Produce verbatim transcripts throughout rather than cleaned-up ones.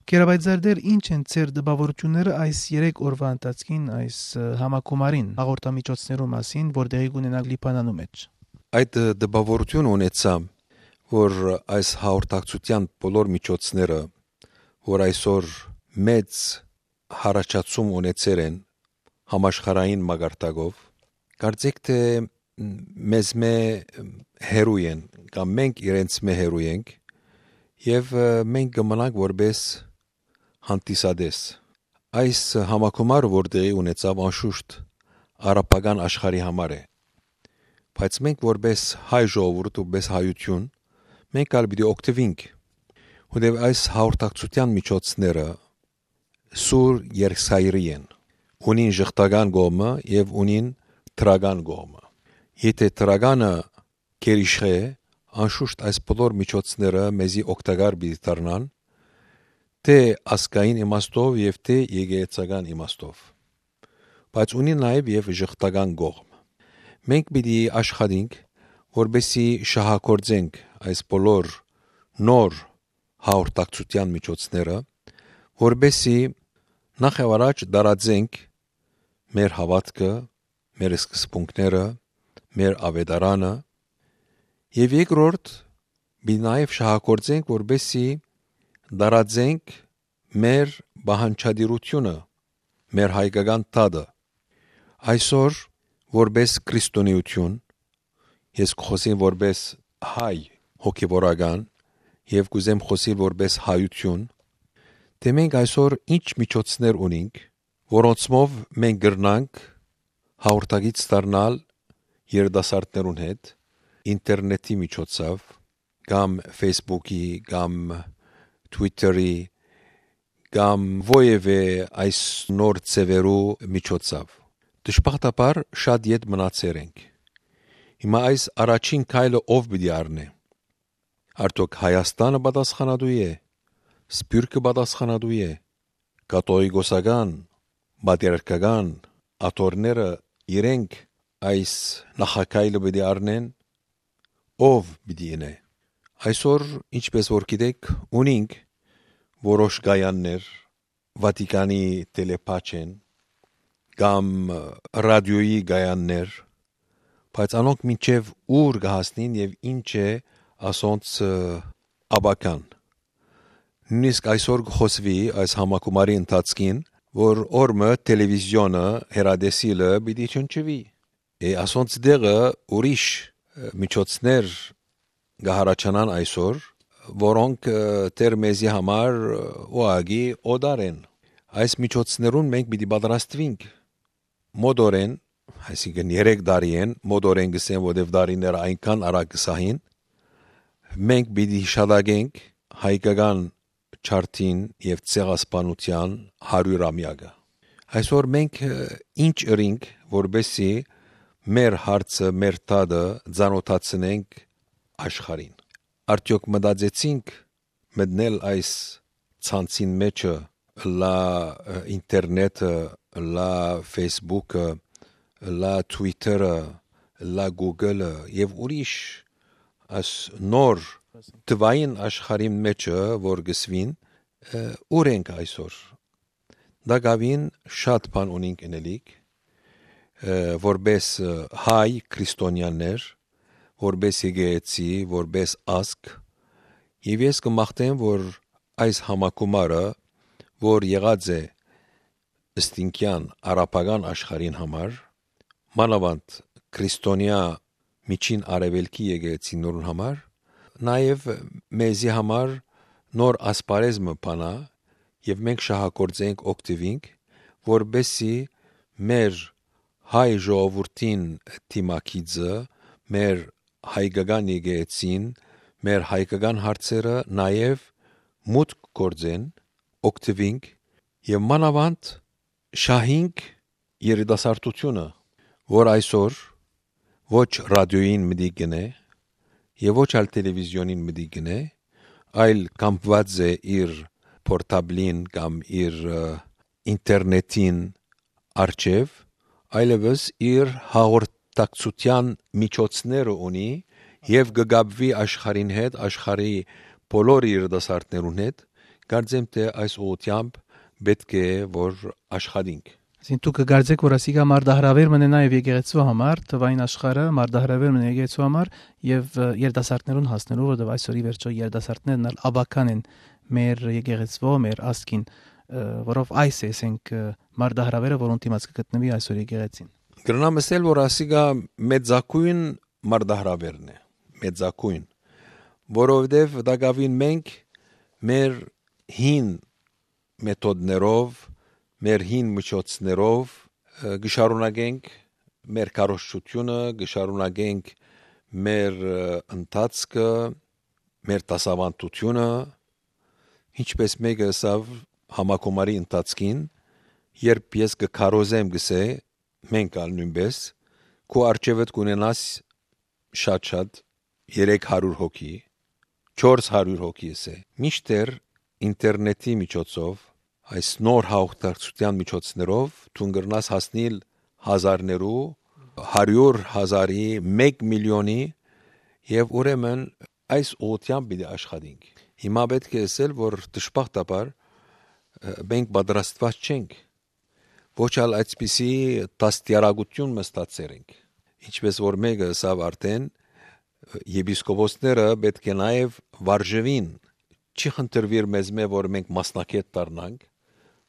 Գերապայծառ Տէր, ի՞նչ են ձեր տպաւորութիւնները այս երեք օրուայ ընթացքին, այս, ը, համագումարին հաղորդամիջոցներու մասին, որ տեղի կ'ունենան Լիբանանու մէջ։ Այդ, ը, տպաւորութիւնը ունեցայ, որ այս հաղորդակցութեան բոլոր միջոցները, որ այսօր մեծ յառաջացում ունեցեր են համաշխարհային մակարդակով, կարծէք թէ մեզմէ հեռու են, կամ մենք իրենցմէ հեռու ենք, եւ, ը, մենք կը մնանք որպէս հանդիսատես։ Այս համագումարը, որ տեղի ունեցաւ, անշուշտ արաբական աշխարհի համար է, բայց մենք որպէս հայ ժողովուրդ, որպէս հայութիւն, մենք ալ պիտի օգտուինք, որտեղ այս հաղորդակցութեան միջոցները սուր երկսայրի են, ունին ժխտական կողմը եւ ունին դրական կողմը։ Եթէ դրականը գերիշխ է, անշուշտ այս բոլոր միջոցները մեզի օգտակար պիտի դառնան, թէ ազգային իմաստով եւ թէ եկեղեցական իմաստով, բայց ունի նաեւ եւ ժխտական կողմ։ Մենք պիտի աշխատենք, որպեսզի շահագործենք այս բոլոր նոր հաղորդակցութեան միջոցները, որպեսզի նախ եւ առաջ տարածենք մեր հաւատքը, մեր սկզբունքները, մեր աւետարանը, եւ երկրորդ, պիտի նաեւ շահագործենք, որպեսզի տարածենք մեր պահանջատիրությունը, մեր հայկական դատը։ Այսօր, որպէս քրիստոնեություն, ես կխօսեմ որպէս հայ հոգեվորական եւ կ'ուզեմ խօսիլ որպէս հայութիւն, թէ մենք այսօր ինչ միջոցներ ունինք, որոնցմով մենք կրնանք հաղորդակից դառնալ երիտասարդներուն հետ, ինտերնետի միջոցով, կամ Facebook-ի, կամ Twitter-ի, կամ որեւէ այս նոր ձեւերու միջոցով։ Դժբախտաբար շատ ետ մնացեր ենք։ Հիմա այս առաջին քայլը ով պիտի առնէ։ Արդյոք Հայաստանը պատասխանատու է, Սփիւռքը պատասխանատու է, կաթողիկոսական, պատրիարքական աթոռները իրենք այս նախաքայլը պիտի առնեն, ով պիտի ինէ։ Այսօր, ինչպես որ գիտեք, ունինք որոշ կայաններ, Վատիկանի տելեպաչ են, կամ ռադիոյի կայաններ, բայց անոնք մինչեւ ուր կը հասնին եւ ինչ է ասոնց, ը, աբական։ Նույնիսկ այսօր կը խօսուի այս համագումարի ընթացքին, որ օրը տելևիզիոնը, հեռատեսիլը պիտի չնչուի։ Է, ասոնց դեղը ուրիշ, ը, միջոցներ կը յառաջանան այսօր, որոնք, ը, դեռ մեզի համար, ը, ուղղակի օտար են։ Այս միջոցներուն մենք պիտի պատրաստուինք մօտորեն, այսինքն երեք տարի են, մօտորեն կ'ըսեմ, որտեւ տարիները այնքան արագ կը սահին, մենք պիտի հիշատակենք հայկական ջարդին եւ ցեղասպանութեան հարիւրամեակը։ Այսօր մենք, ը, ինչ ըրինք, որպեսզի մեր հարցը, մեր դատը ծանօթացնենք աշխարհին։ Արդյոք մտածեցինք մտնել այս ցանցին մէջը, լա, ը, ինտերնետը, լա Facebook-ը, լա Twitter-ը, լա Google-ը եւ ուրիշ այս նոր թվային աշխարհին մէջը, որ կ'ըսուին, ը, ուր ենք այսօր։ Տակաւին շատ բան ունինք ընելիք, ը, որպէս, ը, հայ քրիստոնեաներ, որպէս եկեղեցի, որպէս ազգ, եւ ես կը մաղթեմ, որ այս համագումարը, որ եղած է ստինքեան արաբական աշխարհին համար, մանաւանդ քրիստոնեայ միջին արեւելքի եկեղեցիներուն համար, նաեւ մեզի համար նոր ասպարեզ մը բանայ եւ մենք շահագործենք, օգտուինք, որպեսզի մեր հայ ժողովուրդին դիմագիծը, մեր հայկական եկեղեցին, մեր հայկական հարցերը նաեւ մուտք գործեն, օգտուինք եւ մանաւանդ շահինք երիտասարդությունը, որ այսօր ոչ ռադիոյին մտիկ կ'ընէ եւ ոչ ալ տելևիզիոնին մտիկ կ'ընէ, այլ կամբուած է իր պորտաբլին կամ իր, ը, ինտերնետին առջեւ, այլեւս իր հաղորդակցութեան միջոցները ունի եւ կը կապուի աշխարհին հետ, աշխարհի բոլոր երիտասարդներուն հետ, Կարծեմ թէ այս ուղղութեամբ պէտք է որ աշխատինք։ Այսինքն դուք կկարծէք, որ ասիկա մարտահրաւեր մնա նաեւ եկեղեցու համար, թվային աշխարհը մարտահրաւեր մնա եկեղեցու համար եւ, ը, երիտասարդներուն հասնելու, որովհետեւ այսօր ի վերջոյ երիտասարդներն ալ աբական են մեր եկեղեցու, մեր ազգին, ը, որով այս է, ասենք, ը, մարտահրաւերը, որուն դիմաց կը գտնուի այսօր եկեղեցին։ Կրնամ ըսել, որ ասիկա մեծագոյն մարտահրաւերն է, մեծագոյն, որովհետեւ տակաւին մենք մեր հին մեթոդներով, մեր հին միջոցներով, ը, կը շարունակենք մեր քարոզչությունը, կը շարունակենք մեր, ը, ընթացքը, մեր դասաւանդությունը, ինչպէս մէկը ըսաւ համագումարի ընթացքին, երբ ես կը քարոզեմ, կ'ըսէ, մենք ալ նոյնպէս, քու առջեւդ կ'ունենաս շատ-շատ երեք հարիւր հոգի, չորս հարիւր հոգի, ըսէ։ Մինչդեռ ինտերնետի միջոցով, այս նոր հաղորդակցութեան միջոցներով դուն կրնաս հասնիլ հազարներու, հարիւր հազարի, մէկ միլիոնի, եւ ուրեմն այս ուղղութեամբ պիտի աշխատենք։ Հիմա պէտք է ըսել, որ դժբախտաբար, ը, մենք պատրաստուած չենք, ոչ ալ այսպիսի դաստիարակութիւն մը ստացեր ենք։ Ինչպէս որ մէկը ըսաւ արդէն, ը, եպիսկոպոսները պէտք է նաեւ վարժուին, չի խնդրուիր մեզմէ, որ մենք մասնագէտ դառնանք,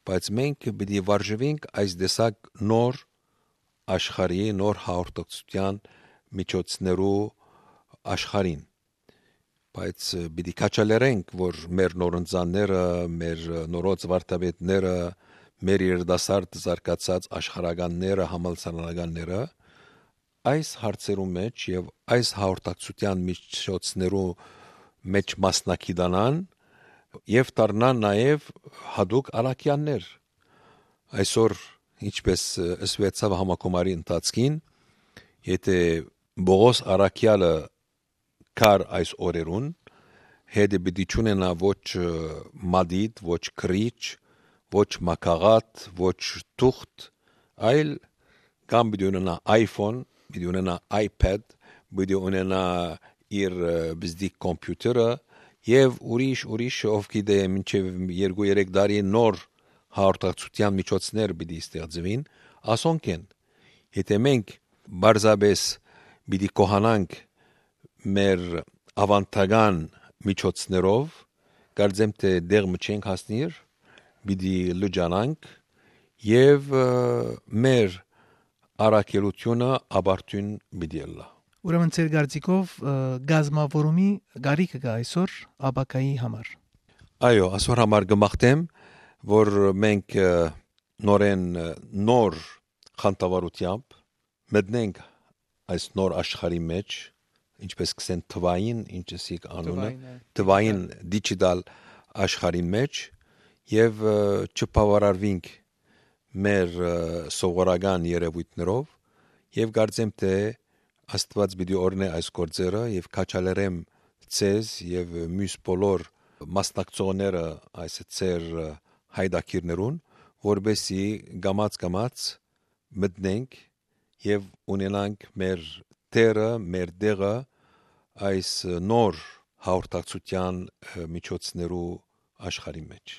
բայց մենք պիտի վարժուինք այս տեսակ նոր աշխարհի, նոր հաղորդակցութեան միջոցներու աշխարհին։ Բայց, ը, պիտի քաջալերենք, որ մեր նորընծանները, մեր, ը, նորոց վարդապետները, մեր երիտասարդ զարգացած աշխարհականները, համալսարանականները այս հարցերու մէջ եւ այս հաղորդակցութեան միջոցներու մէջ մասնակցանան եւ դառնան նաեւ յատուկ առաքեալներ։ Այսօր, ինչպէս, ը, ըսուեցաւ համագումարի ընթացքին, եթէ Պողոս առաքեալը կար այս օրերուն, հետը պիտի չունենայ ոչ, ը, մատիտ, ոչ գրիչ, ոչ մագաղաթ, ոչ թուղթ, այլ կամ պիտի ունենայ iPhone, պիտի ունենայ iPad, պիտի ունենայ իր, ը, բզդիկ կոմպիութերը եւ ուրիշ, ուրիշ, ով գիտէ, մինչեւ երկու-երեք տարի նոր հաղորդակցութեան միջոցներ պիտի ստեղծուին, ասոնք են։ Եթէ մենք պարզապէս պիտի գոհանանք մեր աւանդական միջոցներով, կարծեմ թէ տեղ մը չենք հասնիր, պիտի լճանանք եւ, ը, մեր առաքելութիւնը ապարդիւն պիտի ըլլայ։ Ուրեմն ձեր կարծիքով, ը, կազմաւորումի կարիքը կա այսօր ապագայի համար։ Այո, այսօր համար կը մաղթեմ, որ մենք, ը, նորեն, ը, նոր խանդավառութեամբ մտնենք այս նոր աշխարհի մէջ, ինչպես կ'ըսեն թվային, ինչ ըսիք անունը, թվային, ը, թվային դիջիտալ, դիջիտալ աշխարհին մէջ եւ, ը, չբաւարարուինք մեր, ը, սովորական երեւոյթներով եւ կարծեմ թէ Աստուած պիտի օրհնէ այս գործերը եւ քաջալերեմ ձեզ եւ մյուս բոլոր մասնակցողները այս ձեր, ը, հայտագիրներուն, որպեսզի կամաց-կամաց մտնենք եւ ունենանք մեր տեղը, մեր տեղը այս նոր հաղորդակցութեան, ը, միջոցներու աշխարհի մէջ։